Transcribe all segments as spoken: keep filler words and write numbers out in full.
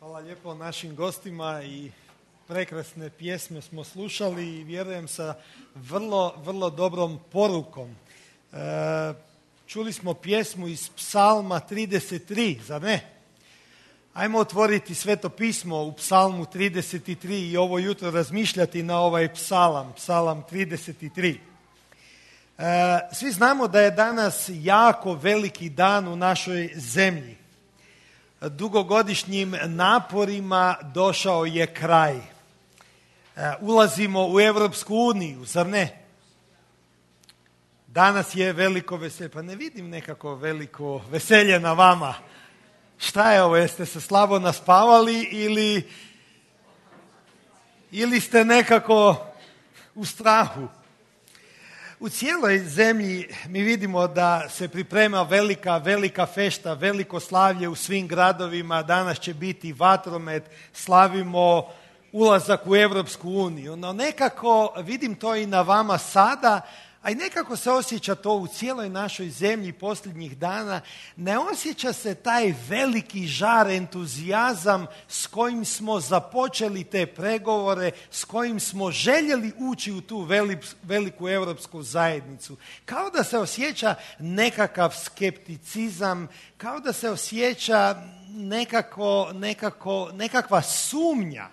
Hvala lijepo našim gostima i prekrasne pjesme smo slušali i vjerujem sa vrlo, vrlo dobrom porukom. E, čuli smo pjesmu iz Psalma trideset tri, zar ne? Ajmo otvoriti Sveto pismo u Psalmu trideset tri i ovo jutro razmišljati na ovaj psalam, Psalam trideset tri. E, svi znamo da je danas jako veliki dan u našoj zemlji. Dugogodišnjim naporima došao je kraj. E, ulazimo u Europsku uniju, zar ne? Danas je veliko veselje. Pa ne vidim nekako veliko veselje na vama. Šta je ovo? Jeste se slabo naspavali ili, ili ste nekako u strahu? U cijeloj zemlji mi vidimo da se priprema velika, velika fešta, veliko slavlje u svim gradovima. Danas će biti vatromet, slavimo ulazak u Europsku uniju. No nekako vidim to i na vama sada, a i nekako se osjeća to u cijeloj našoj zemlji posljednjih dana. Ne osjeća se taj veliki žar, entuzijazam s kojim smo započeli te pregovore, s kojim smo željeli ući u tu veliku europsku zajednicu. Kao da se osjeća nekakav skepticizam, kao da se osjeća nekako, nekako, nekakva sumnja.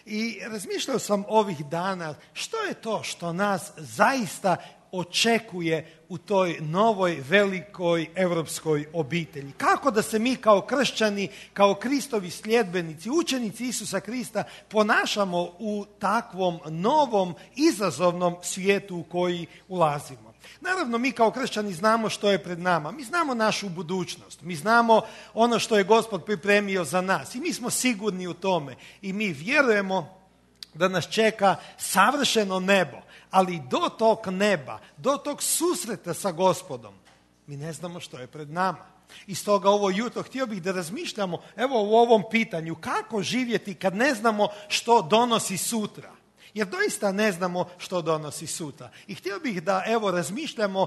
I razmišljao sam ovih dana što je to što nas zaista očekuje u toj novoj velikoj europskoj obitelji. Kako da se mi kao kršćani, kao Kristovi sljedbenici, učenici Isusa Krista ponašamo u takvom novom izazovnom svijetu u koji ulazimo. Naravno, mi kao kršćani znamo što je pred nama. Mi znamo našu budućnost. Mi znamo ono što je Gospod pripremio za nas. I mi smo sigurni u tome. I mi vjerujemo da nas čeka savršeno nebo. Ali do tog neba, do tog susreta sa Gospodom, mi ne znamo što je pred nama. I stoga ovo jutro htio bih da razmišljamo evo u ovom pitanju kako živjeti kad ne znamo što donosi sutra. Jer doista ne znamo što donosi sutra. I htio bih da evo razmišljamo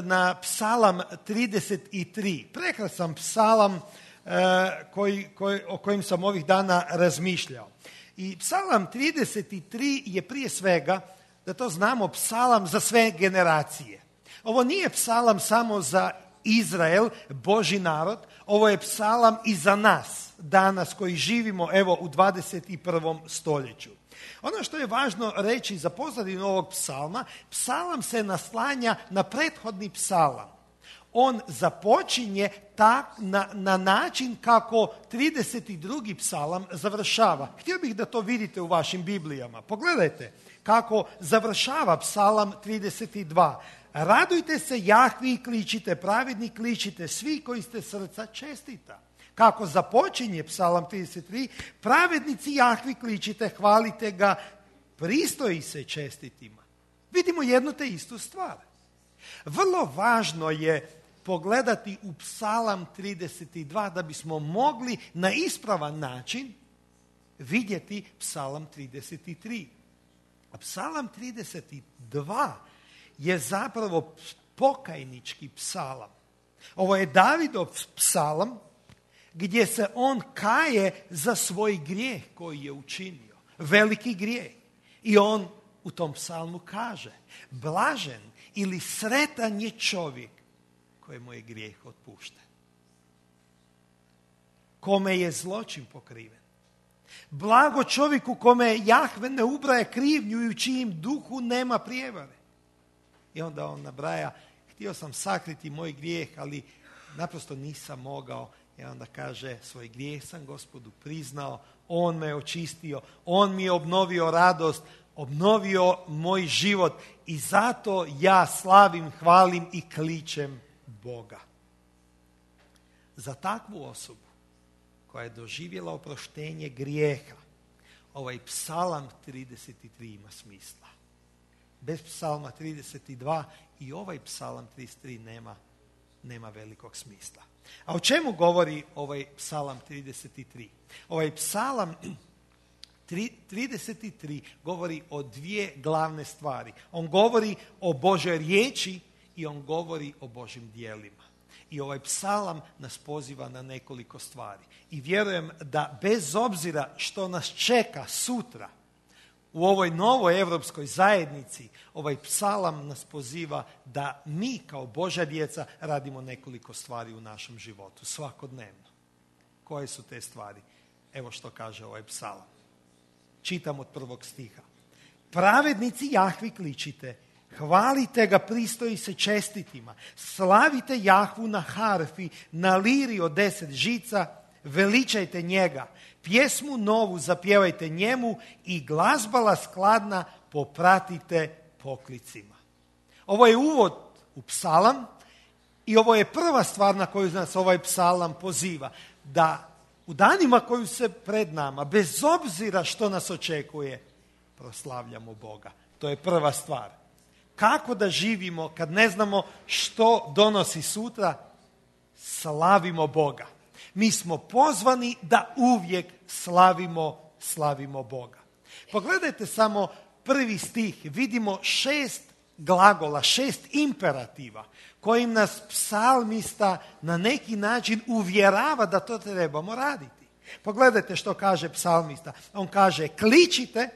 na Psalam trideset tri. Prekrasan psalam koji, koji, o kojem sam ovih dana razmišljao. I Psalam trideset tri je prije svega, da to znamo, psalam za sve generacije. Ovo nije psalam samo za Izrael, Božji narod, ovo je psalam i za nas, danas koji živimo evo u dvadeset prvom stoljeću. Ono što je važno reći za pozadinu ovog psalma, psalam se naslanja na prethodni psalam. On započinje tak, na, na način kako trideset drugi psalam završava. Htio bih da to vidite u vašim Biblijama. Pogledajte kako završava psalam trideset dva. Radujte se Jahvi i kličite, pravedni kličite, svi koji ste srca čestita. Kako započinje psalam trideset tri, pravednici Jahvi kličite, hvalite ga, pristoji se čestitima. Vidimo jednu te istu stvar. Vrlo važno je pogledati u psalam trideset dva da bismo mogli na ispravan način vidjeti psalam trideset tri. A psalam trideset dva je zapravo pokajnički psalam. Ovo je Davidov psalam gdje se on kaje za svoj grijeh koji je učinio. Veliki grijeh. I on u tom psalmu kaže, blažen ili sretan je čovjek kojemu je grijeh otpušten. Kome je zločin pokriven. Blago čovjeku kome Jahve ne ubraje krivnju i u čijim duhu nema prijevare. I onda on nabraja, htio sam sakriti moj grijeh, ali naprosto nisam mogao. I onda kaže, svoj grijeh sam Gospodu priznao, on me očistio, on mi je obnovio radost, obnovio moj život i zato ja slavim, hvalim i kličem Boga. Za takvu osobu koja je doživjela oproštenje grijeha, ovaj psalam trideset tri ima smisla. Bez psalma trideset dva i ovaj psalam trideset tri nema, nema velikog smisla. A o čemu govori ovaj psalam trideset tri? Ovaj psalam trideset tri govori o dvije glavne stvari. On govori o Božoj riječi i on govori o Božjim djelima. I ovaj psalam nas poziva na nekoliko stvari. I vjerujem da bez obzira što nas čeka sutra u ovoj novoj europskoj zajednici, ovaj psalam nas poziva da mi kao Božja djeca radimo nekoliko stvari u našem životu, svakodnevno. Koje su te stvari? Evo što kaže ovaj psalam. Čitam od prvog stiha. Pravednici Jahvi kličite, hvalite ga, pristoji se čestitima, slavite Jahvu na harfi, na liri od deset žica, veličajte njega, pjesmu novu zapjevajte njemu i glazbala skladna popratite poklicima. Ovo je uvod u psalam i ovo je prva stvar na koju nas ovaj psalam poziva, da u danima koji se pred nama, bez obzira što nas očekuje, proslavljamo Boga. To je prva stvar. Kako da živimo kad ne znamo što donosi sutra? Slavimo Boga. Mi smo pozvani da uvijek slavimo, slavimo Boga. Pogledajte samo prvi stih. Vidimo šest glagola, šest imperativa kojim nas psalmista na neki način uvjerava da to trebamo raditi. Pogledajte što kaže psalmista. On kaže kličite,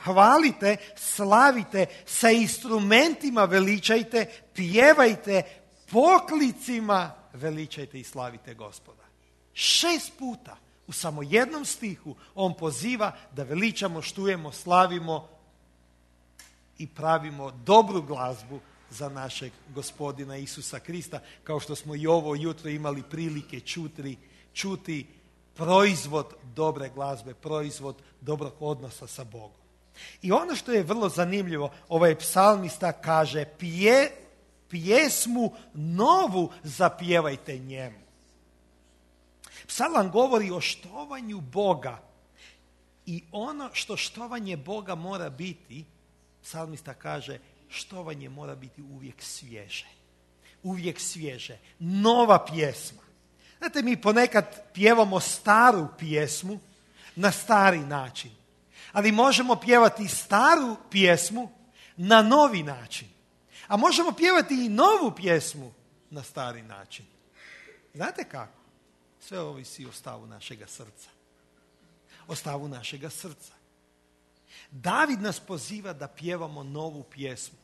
hvalite, slavite, sa instrumentima veličajte, pjevajte, poklicima veličajte i slavite Gospoda. Šest puta u samo jednom stihu on poziva da veličamo, štujemo, slavimo i pravimo dobru glazbu za našeg Gospodina Isusa Krista, kao što smo i ovo jutro imali prilike čuti, čuti proizvod dobre glazbe, proizvod dobrog odnosa sa Bogom. I ono što je vrlo zanimljivo, ovaj psalmista kaže pje, pjesmu novu zapjevajte njemu. Psalam govori o štovanju Boga i ono što štovanje Boga mora biti, psalmista kaže, štovanje mora biti uvijek svježe. Uvijek svježe. Nova pjesma. Znate, mi ponekad pjevamo staru pjesmu na stari način. Ali možemo pjevati staru pjesmu na novi način. A možemo pjevati i novu pjesmu na stari način. Znate kako? Sve ovisi o stavu našega srca. O stavu našega srca. David nas poziva da pjevamo novu pjesmu.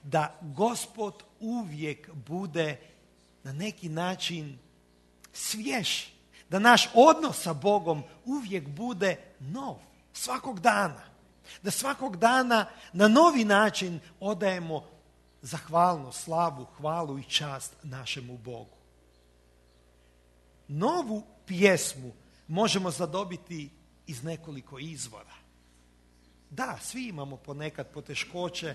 Da Gospod uvijek bude na neki način svjež. Da naš odnos sa Bogom uvijek bude nov. Svakog dana. Da svakog dana na novi način odajemo zahvalnost, slavu, hvalu i čast našemu Bogu. Novu pjesmu možemo zadobiti iz nekoliko izvora. Da, svi imamo ponekad poteškoće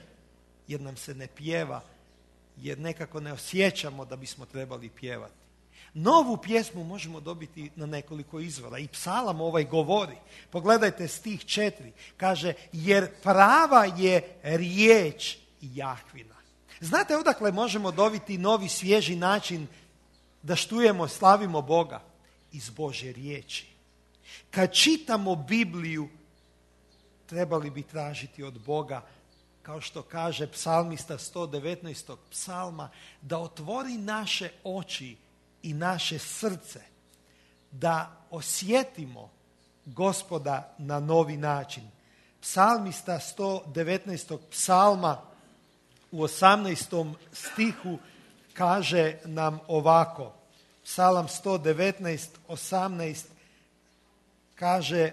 jer nam se ne pjeva, jer nekako ne osjećamo da bismo trebali pjevati. Novu pjesmu možemo dobiti na nekoliko izvora. I psalam ovaj govori. Pogledajte stih četiri. Kaže, jer prava je riječ Jahvina. Znate odakle možemo dobiti novi svježi način da štujemo, slavimo Boga? Iz Božje riječi. Kad čitamo Bibliju, trebali bi tražiti od Boga, kao što kaže psalmista sto devetnaestog psalma, da otvori naše oči i naše srce, da osjetimo Gospoda na novi način. Psalmista sto devetnaestog psalma u osamnaestom stihu kaže nam ovako. Psalam sto devetnaest, osamnaest kaže: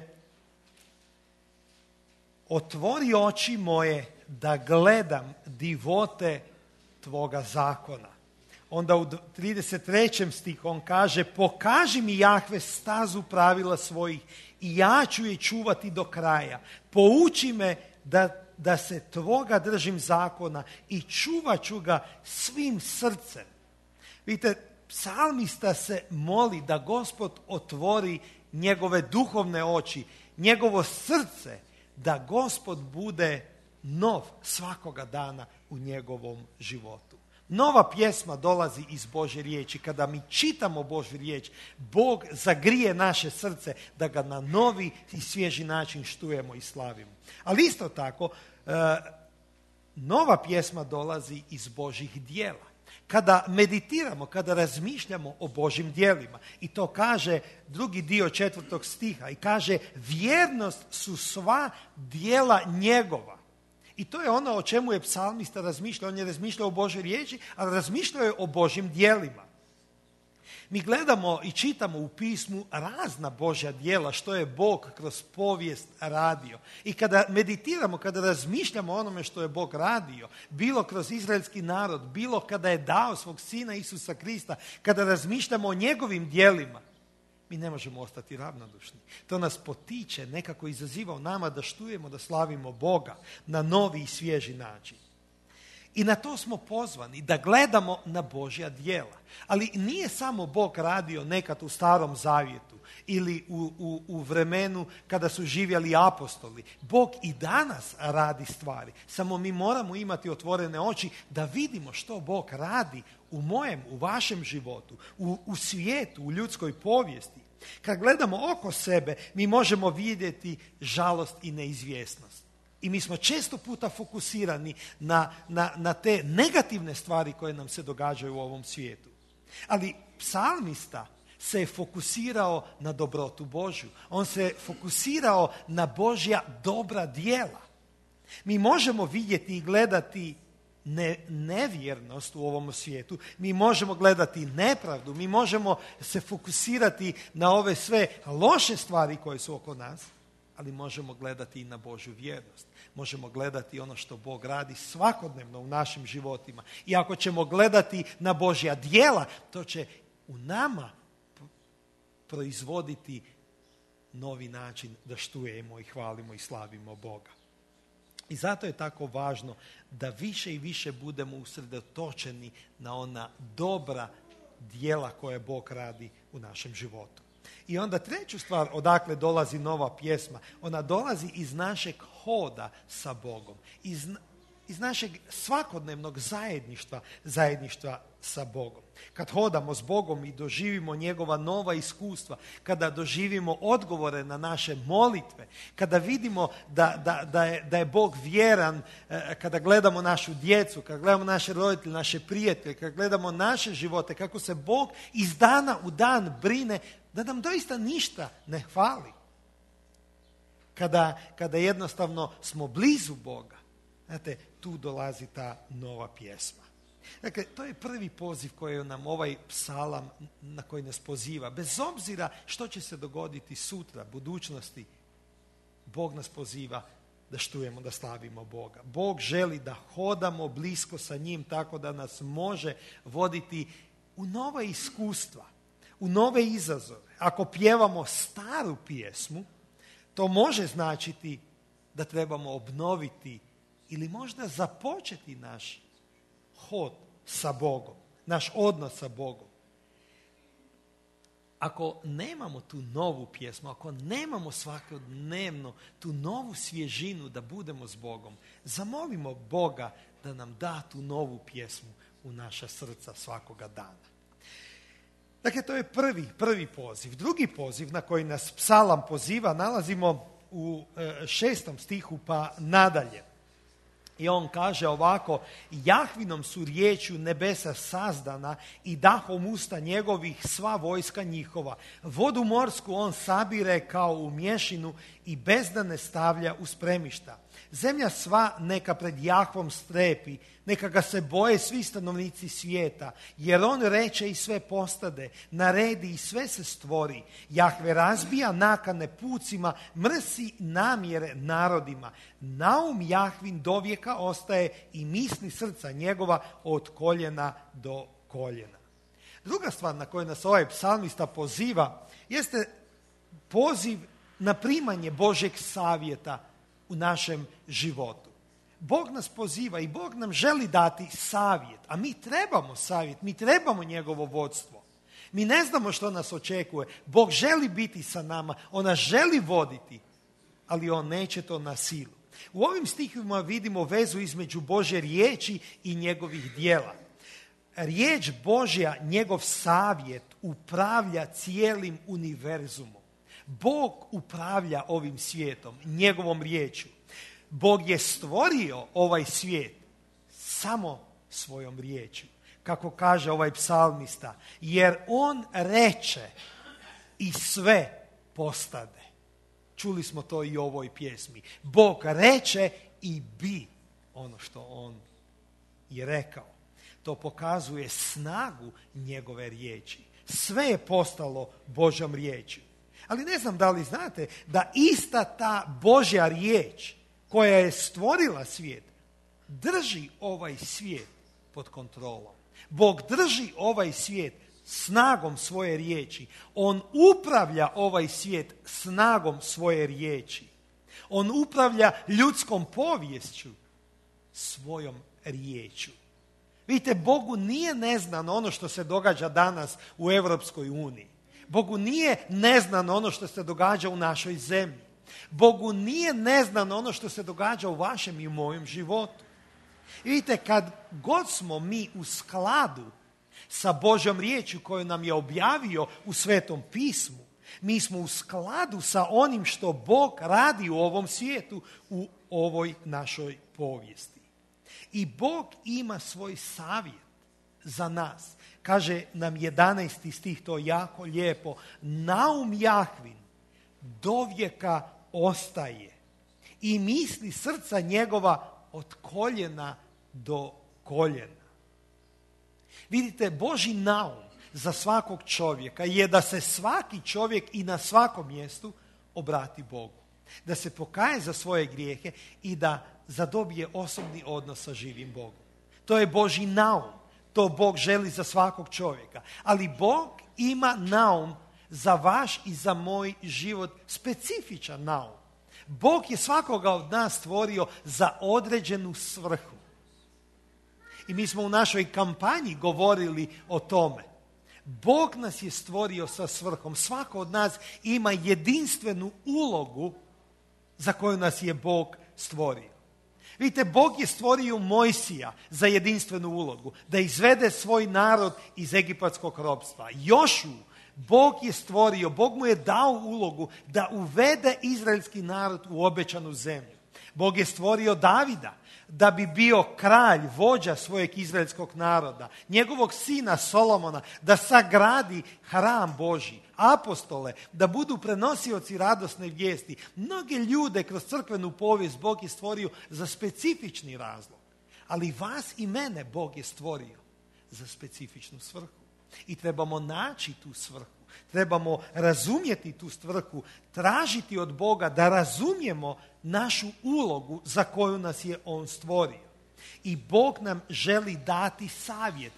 otvori oči moje da gledam divote tvoga zakona. Onda u trideset trećem stihu on kaže: pokaži mi, Jahve, stazu pravila svojih i ja ću je čuvati do kraja. Pouči me da, da se tvoga držim zakona i čuvat ću ga svim srcem. Vidite, psalmista se moli da Gospod otvori njegove duhovne oči, njegovo srce, da Gospod bude nov svakoga dana u njegovom životu. Nova pjesma dolazi iz Božje riječi. Kada mi čitamo Božju riječ, Bog zagrije naše srce da ga na novi i svježi način štujemo i slavimo. Ali isto tako, nova pjesma dolazi iz Božjih djela. kada meditiramo, kada razmišljamo o Božjim djelima. I to kaže drugi dio četvrtog stiha i kaže vjernost su sva djela njegova. I to je ono o čemu je psalmista razmišljao. On je razmišljao o Božoj riječi, ali razmišljao je o Božjim djelima. Mi gledamo i čitamo u pismu razna Božja djela što je Bog kroz povijest radio. I kada meditiramo, kada razmišljamo o onome što je Bog radio, bilo kroz izraelski narod, bilo kada je dao svog sina Isusa Krista, kada razmišljamo o njegovim djelima, mi ne možemo ostati ravnodušni. To nas potiče, nekako izaziva u nama da štujemo, da slavimo Boga na novi i svježi način. I na to smo pozvani, da gledamo na Božja djela. Ali nije samo Bog radio nekad u Starom Zavjetu ili u, u, u vremenu kada su živjeli apostoli. Bog i danas radi stvari. Samo mi moramo imati otvorene oči da vidimo što Bog radi u mojem, u vašem životu, u, u svijetu, u ljudskoj povijesti. Kad gledamo oko sebe, mi možemo vidjeti žalost i neizvjesnost. I mi smo često puta fokusirani na, na, na te negativne stvari koje nam se događaju u ovom svijetu. Ali psalmista se je fokusirao na dobrotu Božju. On se fokusirao na Božja dobra djela. Mi možemo vidjeti i gledati ne, nevjernost u ovom svijetu. Mi možemo gledati nepravdu. Mi možemo se fokusirati na ove sve loše stvari koje su oko nas. Ali možemo gledati i na Božju vjernost. Možemo gledati ono što Bog radi svakodnevno u našim životima. I ako ćemo gledati na Božja djela, to će u nama proizvoditi novi način da štujemo i hvalimo i slavimo Boga. I zato je tako važno da više i više budemo usredotočeni na ona dobra djela koje Bog radi u našem životu. I onda treću stvar, odakle dolazi nova pjesma, ona dolazi iz našeg hoda sa Bogom, iz, iz našeg svakodnevnog zajedništva, zajedništva sa Bogom. Kad hodamo s Bogom i doživimo njegova nova iskustva, kada doživimo odgovore na naše molitve, kada vidimo da, da, da, je, da je Bog vjeran, kada gledamo našu djecu, kada gledamo naše roditelje, naše prijatelje, kada gledamo naše živote, kako se Bog iz dana u dan brine, da nam doista ništa ne hvali. Kada, kada jednostavno smo blizu Boga, znate, tu dolazi ta nova pjesma. Dakle, to je prvi poziv koji nam ovaj psalam na koji nas poziva. Bez obzira što će se dogoditi sutra, budućnosti, Bog nas poziva da štujemo, da slavimo Boga. Bog želi da hodamo blisko sa njim tako da nas može voditi u nova iskustva, u nove izazove. Ako pjevamo staru pjesmu, to može značiti da trebamo obnoviti ili možda započeti naš hod sa Bogom, naš odnos sa Bogom. Ako nemamo tu novu pjesmu, ako nemamo svakodnevno tu novu svježinu da budemo s Bogom, zamolimo Boga da nam da tu novu pjesmu u naša srca svakoga dana. Dakle, to je prvi, prvi poziv. Drugi poziv na koji nas psalam poziva nalazimo u šestom stihu pa nadalje. I on kaže ovako: Jahvinom su riječju nebesa sazdana i dahom usta njegovih sva vojska njihova. Vodu morsku on sabire kao u mješinu i bezdane stavlja u spremišta. Zemlja sva neka pred Jahvom strepi, neka ga se boje svi stanovnici svijeta, jer on reče i sve postade, naredi i sve se stvori. Jahve razbija nakane pucima, mrsi namjere narodima. Naum Jahvin dovijeka ostaje i misli srca njegova od koljena do koljena. Druga stvar na koju nas ovaj psalmista poziva jeste poziv na primanje Božjeg savjeta u našem životu. Bog nas poziva i Bog nam želi dati savjet, a mi trebamo savjet, mi trebamo njegovo vodstvo. Mi ne znamo što nas očekuje. Bog želi biti sa nama, on nas želi voditi, ali on neće to na silu. U ovim stihovima vidimo vezu između Božje riječi i njegovih djela. Riječ Božja, njegov savjet, upravlja cijelim univerzumom. Bog upravlja ovim svijetom, njegovom riječju. Bog je stvorio ovaj svijet samo svojom riječju. kako kaže ovaj psalmista, jer on reče i sve postade. Čuli smo to i u ovoj pjesmi. Bog reče i bi ono što on je rekao. To pokazuje snagu njegove riječi. Sve je postalo Božjom riječju. Ali ne znam da li znate da ista ta Božja riječ koja je stvorila svijet, drži ovaj svijet pod kontrolom. Bog drži ovaj svijet snagom svoje riječi. On upravlja ovaj svijet snagom svoje riječi. On upravlja ljudskom poviješću svojom riječju. Vidite, Bogu nije neznano ono što se događa danas u Europskoj uniji. Bogu nije neznano ono što se događa u našoj zemlji. Bogu nije neznano ono što se događa u vašem i u mojem životu. I vidite, kad god smo mi u skladu sa Božjom riječju koju nam je objavio u Svetom pismu, mi smo u skladu sa onim što Bog radi u ovom svijetu, u ovoj našoj povijesti. I Bog ima svoj savjet za nas. Kaže nam jedanaesti stih, to jako lijepo. Naum Jahvin dovijeka ostaje i misli srca njegova od koljena do koljena. Vidite, Božji naum za svakog čovjeka je da se svaki čovjek i na svakom mjestu obrati Bogu. Da se pokaje za svoje grijehe i da zadobije osobni odnos sa živim Bogom. To je Božji naum. To Bog želi za svakog čovjeka. Ali Bog ima naum za vaš i za moj život, specifičan naum. Bog je svakoga od nas stvorio za određenu svrhu. I mi smo u našoj kampanji govorili o tome. Bog nas je stvorio sa svrhom. Svako od nas ima jedinstvenu ulogu za koju nas je Bog stvorio. Vidite, Bog je stvorio Mojsija za jedinstvenu ulogu, da izvede svoj narod iz egipatskog ropstva. Jošu Bog je stvorio, Bog mu je dao ulogu da uvede izraelski narod u obećanu zemlju. Bog je stvorio Davida da bi bio kralj, vođa svojeg izraelskog naroda, njegovog sina Solomona da sagradi hram Božji, apostole da budu prenosioci radosne vijesti. Mnoge ljude kroz crkvenu povijest Bog je stvorio za specifični razlog, ali vas i mene Bog je stvorio za specifičnu svrhu. I trebamo naći tu svrhu, trebamo razumjeti tu svrhu, tražiti od Boga da razumijemo našu ulogu za koju nas je On stvorio. I Bog nam želi dati savjet.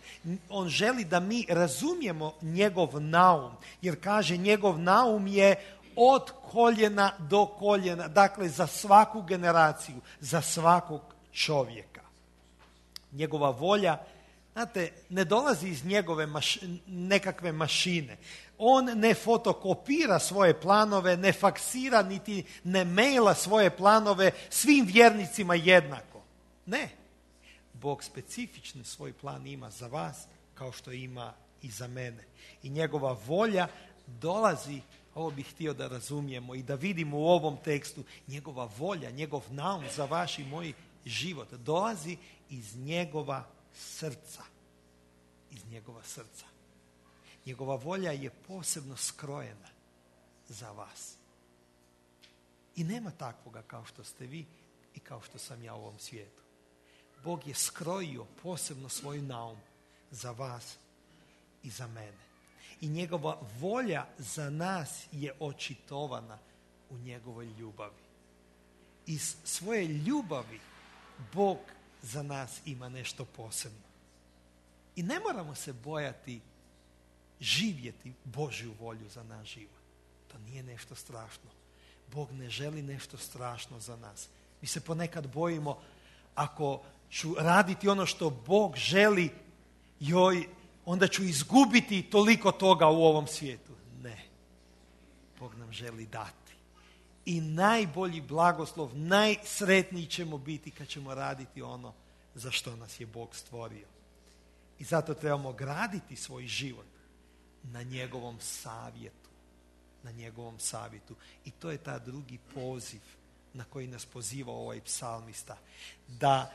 On želi da mi razumijemo njegov naum, jer kaže njegov naum je od koljena do koljena, dakle za svaku generaciju, za svakog čovjeka. Njegova volja, znate, ne dolazi iz njegove maš, nekakve mašine. On ne fotokopira svoje planove, ne faksira niti ne maila svoje planove svim vjernicima jednako. Ne. Bog specifični svoj plan ima za vas kao što ima i za mene. I njegova volja dolazi, ovo bih htio da razumijemo i da vidimo u ovom tekstu, njegova volja, njegov naum za vaš i moj život dolazi iz njegova srca. Iz njegova srca. Njegova volja je posebno skrojena za vas. I nema takvoga kao što ste vi i kao što sam ja u ovom svijetu. Bog je skrojio posebno svoj naum za vas i za mene. I njegova volja za nas je očitovana u njegovoj ljubavi. Iz svoje ljubavi Bog za nas ima nešto posebno. I ne moramo se bojati živjeti Božju volju za naš život. To nije nešto strašno. Bog ne želi nešto strašno za nas. Mi se ponekad bojimo, ako ću raditi ono što Bog želi, joj, onda ću izgubiti toliko toga u ovom svijetu. Ne. Bog nam želi dati. I najbolji blagoslov, najsretniji ćemo biti kad ćemo raditi ono za što nas je Bog stvorio. I zato trebamo graditi svoj život na njegovom savjetu. Na njegovom savjetu. I to je ta drugi poziv na koji nas poziva ovaj psalmista. Da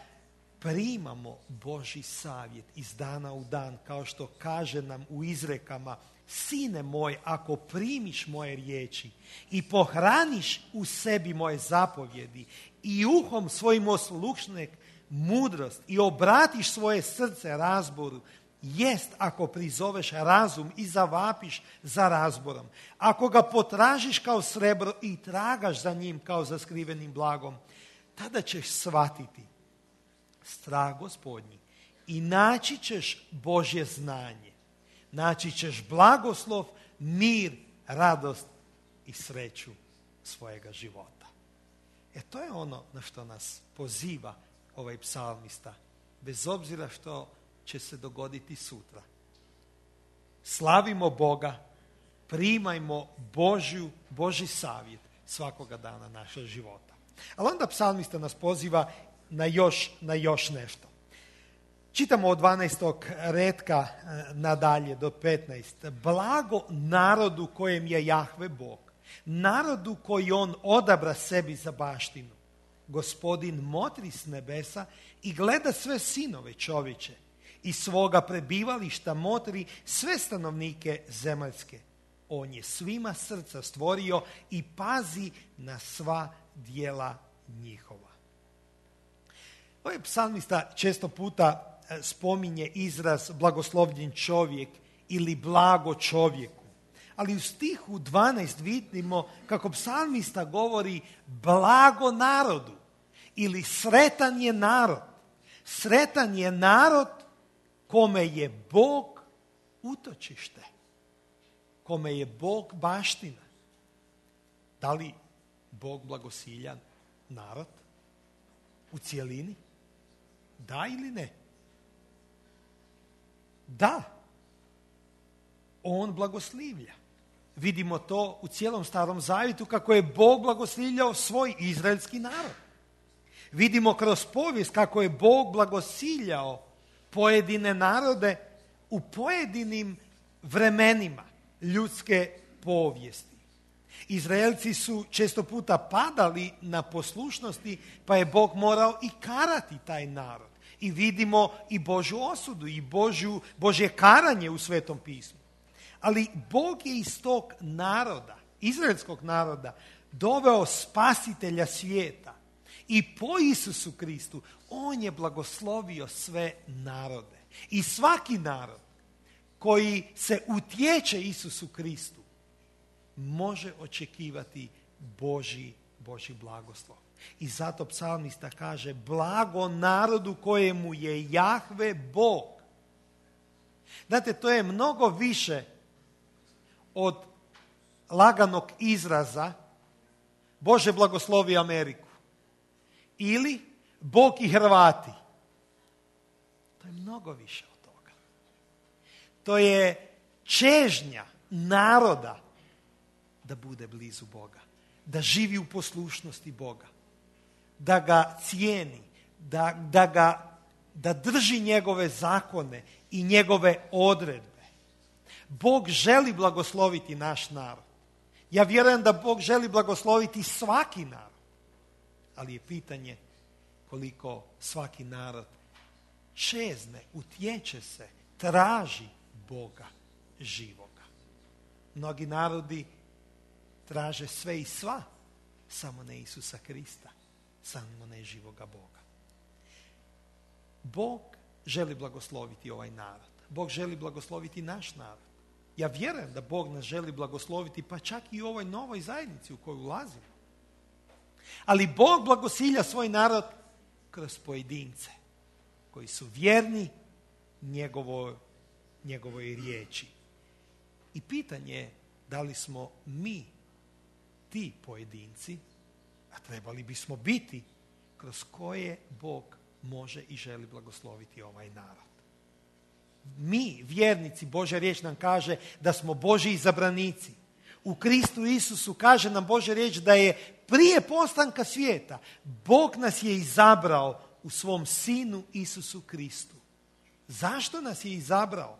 primamo Božji savjet iz dana u dan, kao što kaže nam u izrekama: sine moj, ako primiš moje riječi i pohraniš u sebi moje zapovjedi i uhom svojim oslušneš mudrost i obratiš svoje srce razboru, jest ako prizoveš razum i zavapiš za razborom, ako ga potražiš kao srebro i tragaš za njim kao za skrivenim blagom, tada ćeš shvatiti strah Gospodnji i naći ćeš Božje znanje. Naći ćeš blagoslov, mir, radost i sreću svojega života. E to je ono na što nas poziva ovaj psalmista, bez obzira što će se dogoditi sutra. Slavimo Boga, primajmo Božju, Božji savjet svakoga dana našeg života. Ali onda psalmista nas poziva na još, na još nešto. Čitamo od dvanaestog retka nadalje do petnaest. Blago narodu kojem je Jahve Bog, narodu koji on odabra sebi za baštinu. Gospodin motri s nebesa i gleda sve sinove čovječe, i svoga prebivališta motri sve stanovnike zemaljske. On je svima srca stvorio i pazi na sva djela njihova. Ovaj psalmista često puta spominje izraz blagoslovljen čovjek ili blago čovjeku. Ali u stihu dvanaest vidimo kako psalmista govori blago narodu ili sretan je narod. Sretan je narod kome je Bog utočište, kome je Bog baština. Da li Bog blagosilja narod u cijelini? Da ili ne? Da. On blagoslivlja. Vidimo to u cijelom Starom Zavjetu kako je Bog blagoslivljao svoj izraelski narod. Vidimo kroz povijest kako je Bog blagosiljao pojedine narode u pojedinim vremenima ljudske povijesti. Izraelci su često puta padali na poslušnosti, pa je Bog morao i karati taj narod. I vidimo i Božju osudu i Božju, Božje karanje u Svetom pismu. Ali Bog je iz tog naroda, izraelskog naroda, doveo spasitelja svijeta. I po Isusu Kristu on je blagoslovio sve narode. I svaki narod koji se utječe Isusu Kristu može očekivati Božji, Božji blagoslov. I zato psalmista kaže blago narodu kojemu je Jahve Bog. Znate, to je mnogo više od laganog izraza Bože blagoslovi Ameriku ili Bog i Hrvati. To je mnogo više od toga. To je čežnja naroda da bude blizu Boga, da živi u poslušnosti Boga, da ga cijeni, da, da, ga, da drži njegove zakone i njegove odredbe. Bog želi blagosloviti naš narod. Ja vjerujem da Bog želi blagosloviti svaki narod. Ali je pitanje koliko svaki narod čezne, utječe se, traži Boga živoga. Mnogi narodi traže sve i sva, samo ne Isusa Krista, samo ne živoga Boga. Bog želi blagosloviti ovaj narod. Bog želi blagosloviti naš narod. Ja vjerujem da Bog nas želi blagosloviti, pa čak i u ovoj novoj zajednici u koju ulazimo. Ali Bog blagosilja svoj narod kroz pojedince koji su vjerni njegovoj, njegovoj riječi. I pitanje je da li smo mi ti pojedinci, a trebali bismo biti, kroz koje Bog može i želi blagosloviti ovaj narod. Mi, vjernici, Božja riječ nam kaže da smo Božji izabranici. U Kristu Isusu kaže nam Božja riječ da je prije postanka svijeta Bog nas je izabrao u svom Sinu Isusu Kristu. Zašto nas je izabrao?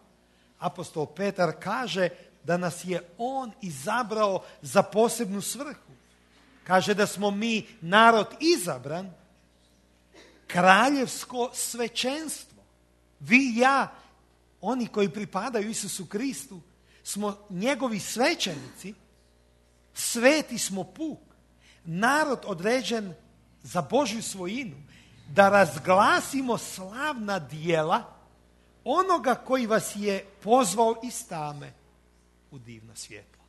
Apostol Petar kaže da nas je on izabrao za posebnu svrhu. Kaže da smo mi narod izabran kraljevsko svećenstvo. Vi i ja, oni koji pripadaju Isusu Kristu, smo njegovi svećenici, sveti smo puk, narod određen za Božju svojinu, da razglasimo slavna djela onoga koji vas je pozvao iz tame u divno svjetlo.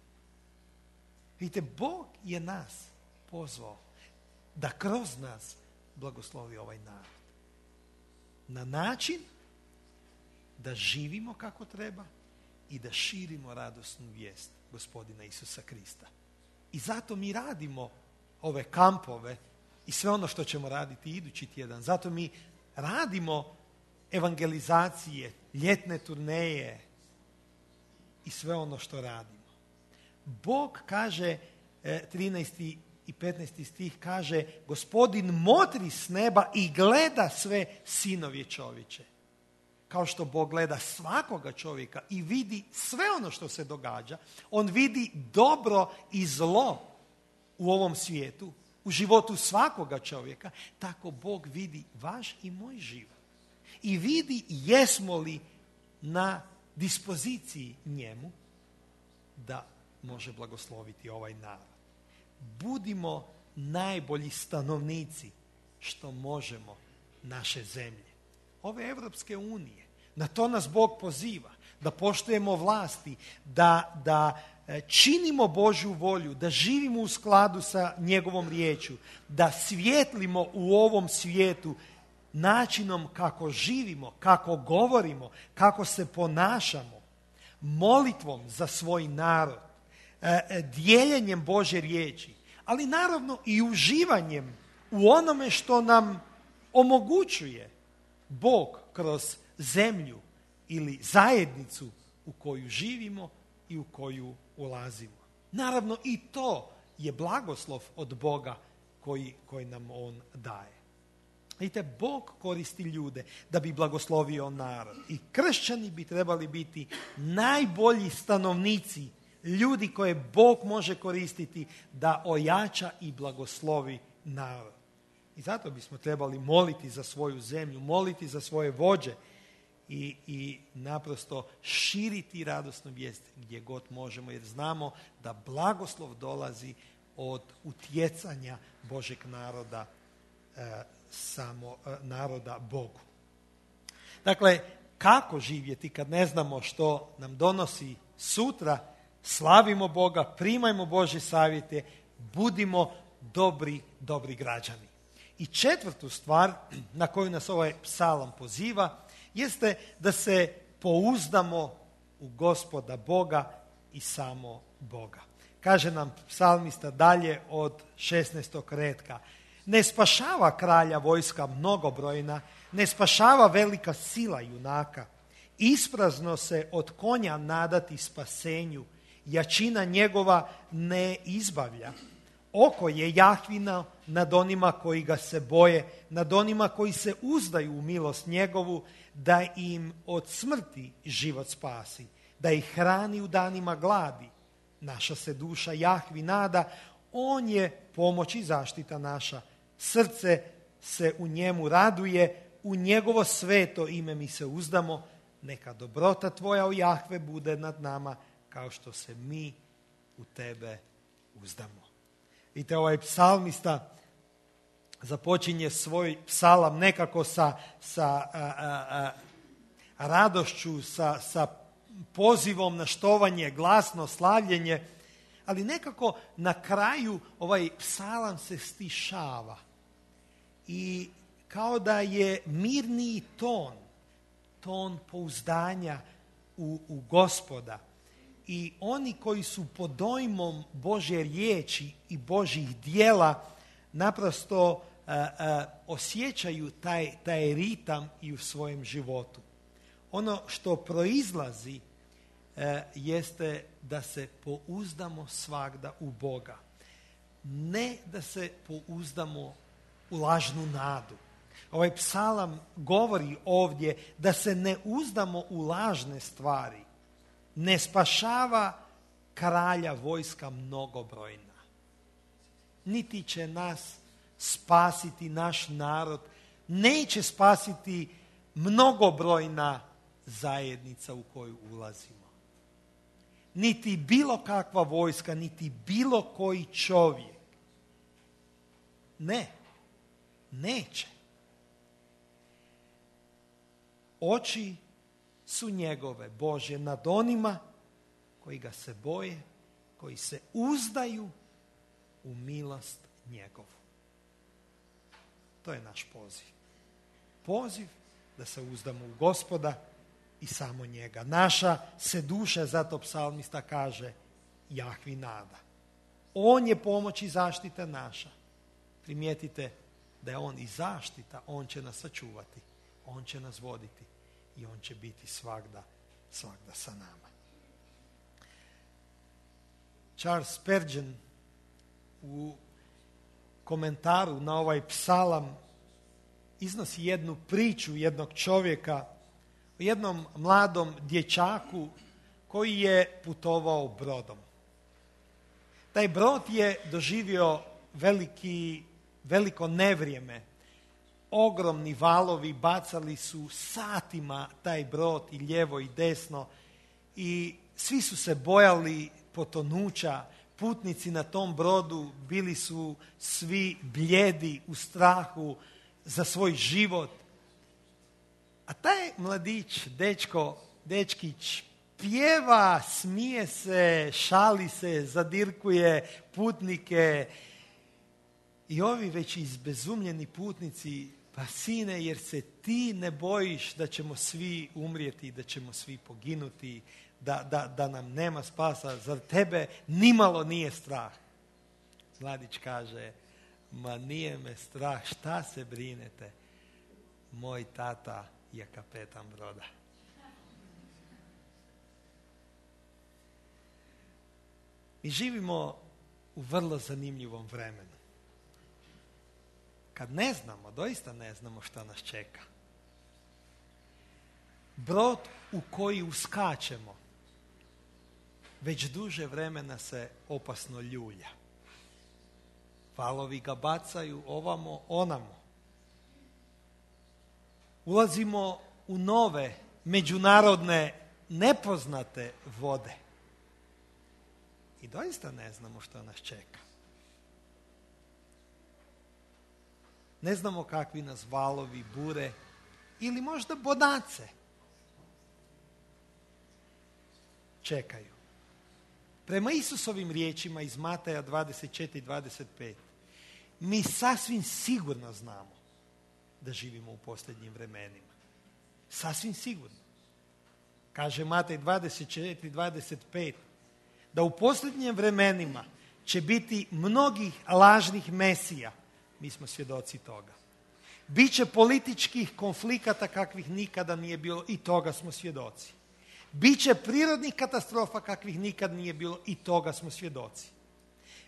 Vidite, Bog je nas pozvao da kroz nas blagoslovi ovaj narod. Na način da živimo kako treba i da širimo radosnu vijest Gospodina Isusa Krista. I zato mi radimo ove kampove i sve ono što ćemo raditi idući tjedan. Zato mi radimo evangelizacije, ljetne turneje i sve ono što radimo. Bog kaže, trinaesti i petnaesti stih kaže, Gospodin motri s neba i gleda sve sinovje čovječe. Kao što Bog gleda svakoga čovjeka i vidi sve ono što se događa, on vidi dobro i zlo u ovom svijetu, u životu svakoga čovjeka, tako Bog vidi vaš i moj život. I vidi jesmo li na dispoziciji njemu da može blagosloviti ovaj narod. Budimo najbolji stanovnici što možemo naše zemlje, ove Evropske unije. Na to nas Bog poziva, da poštujemo vlasti, da, da činimo Božju volju, da živimo u skladu sa njegovom riječju, da svijetlimo u ovom svijetu načinom kako živimo, kako govorimo, kako se ponašamo, molitvom za svoj narod, dijeljenjem Božje riječi, ali naravno i uživanjem u onome što nam omogućuje Bog kroz zemlju ili zajednicu u koju živimo i u koju ulazimo. Naravno i to je blagoslov od Boga koji, koji nam on daje. Vidite, Bog koristi ljude da bi blagoslovio narod. I kršćani bi trebali biti najbolji stanovnici, ljudi koje Bog može koristiti da ojača i blagoslovi narod. I zato bismo trebali moliti za svoju zemlju, moliti za svoje vođe i, i naprosto širiti radosnu vijest gdje god možemo, jer znamo da blagoslov dolazi od utjecanja Božeg naroda, e, samo e, naroda Bogu. Dakle, kako živjeti kad ne znamo što nam donosi sutra? Slavimo Boga, primajmo Božje savjete, budimo dobri, dobri građani. I četvrtu stvar na koju nas ovaj psalam poziva jeste da se pouzdamo u Gospoda Boga i samo Boga. Kaže nam psalmista dalje od šesnaestog retka. Ne spašava kralja vojska mnogobrojna, ne spašava velika sila junaka. Isprazno se od konja nadati spasenju, jačina njegova ne izbavlja. Oko je Jahvino nad onima koji ga se boje, nad onima koji se uzdaju u milost njegovu, da im od smrti život spasi, da ih hrani u danima gladi. Naša se duša Jahvi nada, on je pomoć i zaštita naša. Srce se u njemu raduje, u njegovo sveto ime mi se uzdamo. Neka dobrota tvoja, o Jahve, bude nad nama, kao što se mi u tebe uzdamo. Vidite, ovaj psalmista započinje svoj psalam nekako sa, sa a, a, a, radošću, sa, sa pozivom na štovanje, glasno slavljenje, ali nekako na kraju ovaj psalam se stišava i kao da je mirniji ton, ton pouzdanja u, u Gospoda. I oni koji su pod dojmom Božje riječi i Božjih djela naprosto a, a, osjećaju taj, taj ritam i u svojem životu. Ono što proizlazi a, jeste da se pouzdamo svagda u Boga. Ne da se pouzdamo u lažnu nadu. Ovaj psalam govori ovdje da se ne uzdamo u lažne stvari. Ne spašava kralja vojska mnogobrojna. Niti će nas spasiti naš narod neće spasiti mnogobrojna zajednica u koju ulazimo. Niti bilo kakva vojska, niti bilo koji čovjek. Ne, neće. Oči su njegove, Božje, nad onima koji ga se boje, koji se uzdaju u milost njegovu. To je naš poziv. Poziv da se uzdamo u Gospoda i samo njega. Naša se duša, zato psalmista kaže, Jahvi nada. On je pomoć i zaštita naša. Primijetite da je on i zaštita, on će nas sačuvati, on će nas voditi i on će biti svagda, svagda sa nama. Charles Spurgeon u komentaru na ovaj psalam iznosi jednu priču jednog čovjeka o jednom mladom dječaku koji je putovao brodom. Taj brod je doživio veliki, veliko nevrijeme. Ogromni valovi bacali su satima taj brod i lijevo i desno i svi su se bojali potonuća. Putnici na tom brodu bili su svi blijedi u strahu za svoj život. A taj mladić, dečko, dečkić, pjeva, smije se, šali se, zadirkuje putnike. I ovi već izbezumljeni putnici, pa sine, jer se ti ne bojiš da ćemo svi umrijeti, da ćemo svi poginuti, da, da, da nam nema spasa, zar tebe nimalo nije strah? Mladić kaže, ma nije me strah, šta se brinete? Moj tata je kapetan broda. Mi živimo u vrlo zanimljivom vremenu. Kad ne znamo, doista ne znamo šta nas čeka. Brod u koji uskačemo već duže vremena se opasno ljulja. Valovi ga bacaju ovamo, onamo. Ulazimo u nove, međunarodne, nepoznate vode. I doista ne znamo što nas čeka. Ne znamo kakvi nas valovi, bure ili možda bodace čekaju. Prema Isusovim riječima iz Mateja dvadeset četiri dvadeset pet mi sasvim sigurno znamo da živimo u posljednjim vremenima. Sasvim sigurno. Kaže Matej dvadeset četiri dvadeset pet da u posljednjim vremenima će biti mnogih lažnih mesija. Mi smo svjedoci toga. Biće političkih konflikata kakvih nikada nije bilo i toga smo svjedoci. Biće prirodnih katastrofa kakvih nikad nije bilo i toga smo svjedoci.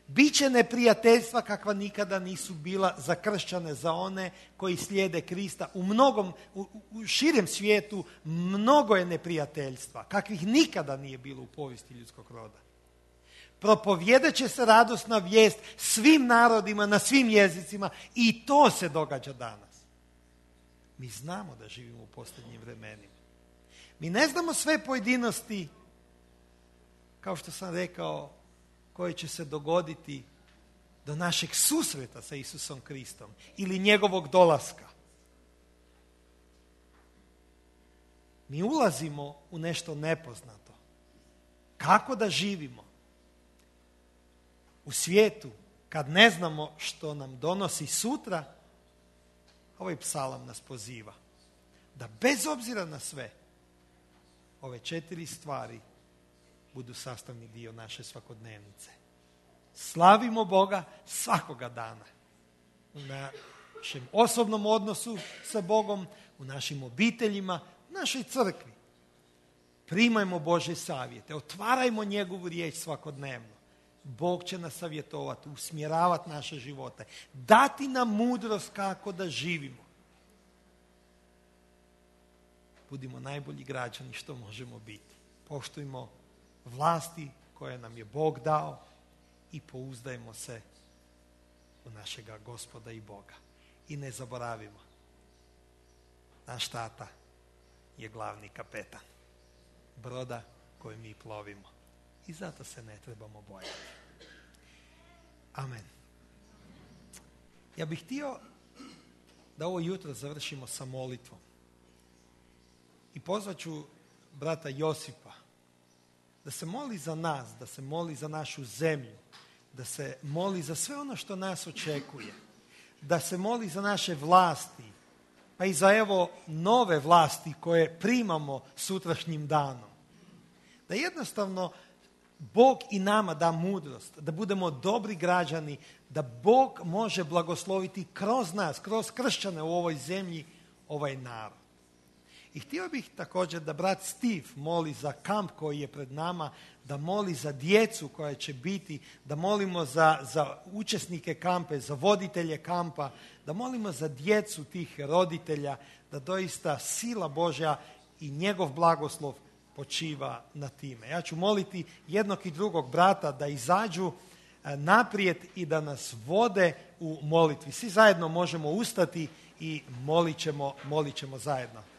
Biće neprijateljstva kakva nikada nisu bila za kršćane, za one koji slijede Krista. U mnogom, u, u širem svijetu mnogo je neprijateljstva kakvih nikada nije bilo u povijesti ljudskog roda. Propovjedat će se radosna vijest svim narodima, na svim jezicima i to se događa danas. Mi znamo da živimo u posljednjim vremenima. Mi ne znamo sve pojedinosti, kao što sam rekao, koje će se dogoditi do našeg susreta sa Isusom Kristom ili njegovog dolaska. Mi ulazimo u nešto nepoznato. Kako da živimo u svijetu kad ne znamo što nam donosi sutra? Ovaj psalam nas poziva da bez obzira na sve ove četiri stvari budu sastavni dio naše svakodnevnice. Slavimo Boga svakoga dana. U našem osobnom odnosu sa Bogom, u našim obiteljima, u našoj crkvi. Primajmo Božje savjete, otvarajmo njegovu riječ svakodnevno. Bog će nas savjetovati, usmjeravati naše živote, dati nam mudrost kako da živimo. Budimo najbolji građani što možemo biti. Poštujmo vlasti koje nam je Bog dao i pouzdajmo se u našega Gospoda i Boga. I ne zaboravimo, naš tata je glavni kapetan broda koji mi plovimo. I zato se ne trebamo bojati. Amen. Ja bih htio da ovo jutro završimo sa molitvom. I pozvat ću brata Josipa da se moli za nas, da se moli za našu zemlju, da se moli za sve ono što nas očekuje, da se moli za naše vlasti, pa i za evo nove vlasti koje primamo sutrašnjim danom. Da jednostavno Bog i nama da mudrost, da budemo dobri građani, da Bog može blagosloviti kroz nas, kroz kršćane u ovoj zemlji, ovaj narod. I htio bih također da brat Steve moli za kamp koji je pred nama, da moli za djecu koja će biti, da molimo za, za učesnike kampe, za voditelje kampa, da molimo za djecu tih roditelja, da doista sila Božja i njegov blagoslov počiva na time. Ja ću moliti jednog i drugog brata da izađu naprijed i da nas vode u molitvi. Svi zajedno možemo ustati i molit ćemo, molit ćemo zajedno.